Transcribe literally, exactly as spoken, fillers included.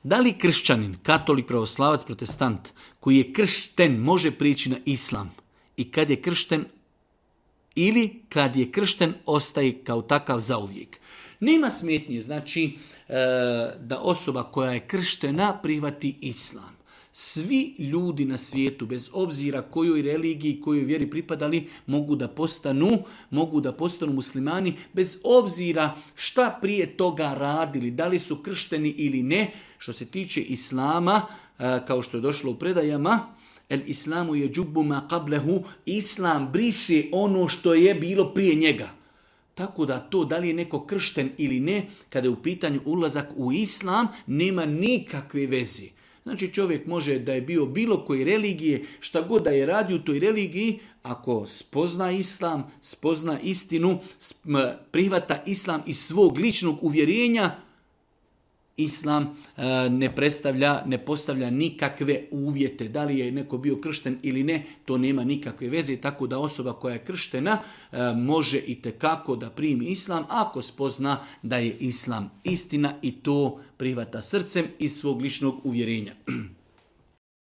Da li kršćanin, katolik, pravoslavac, protestant, koji je kršten, može prići na islam? I kad je kršten, ili kad je kršten, ostaje kao takav zauvijek? Nema smetnje, znači, da osoba koja je krštena prihvati islam. Svi ljudi na svijetu, bez obzira kojoj religiji, kojoj vjeri pripadali, mogu da postanu, mogu da postanu muslimani, bez obzira šta prije toga radili, da li su kršteni ili ne. Što se tiče islama, kao što je došlo u predajama, el islamu je džubbu ma qablehu, islam briše ono što je bilo prije njega. Tako da to, da li je neko kršten ili ne, kada je u pitanju ulazak u islam, nema nikakve veze. Znači čovjek može da je bio bilo koje religije, šta god da je radio u toj religiji, ako spozna islam, spozna istinu, prihvata islam iz svog ličnog uvjerenja, islam ne predstavlja, ne postavlja nikakve uvjete. Da li je neko bio kršten ili ne, to nema nikakve veze. Tako da osoba koja je krštena može i tekako da primi islam ako spozna da je islam istina i to prihvata srcem iz svog ličnog uvjerenja.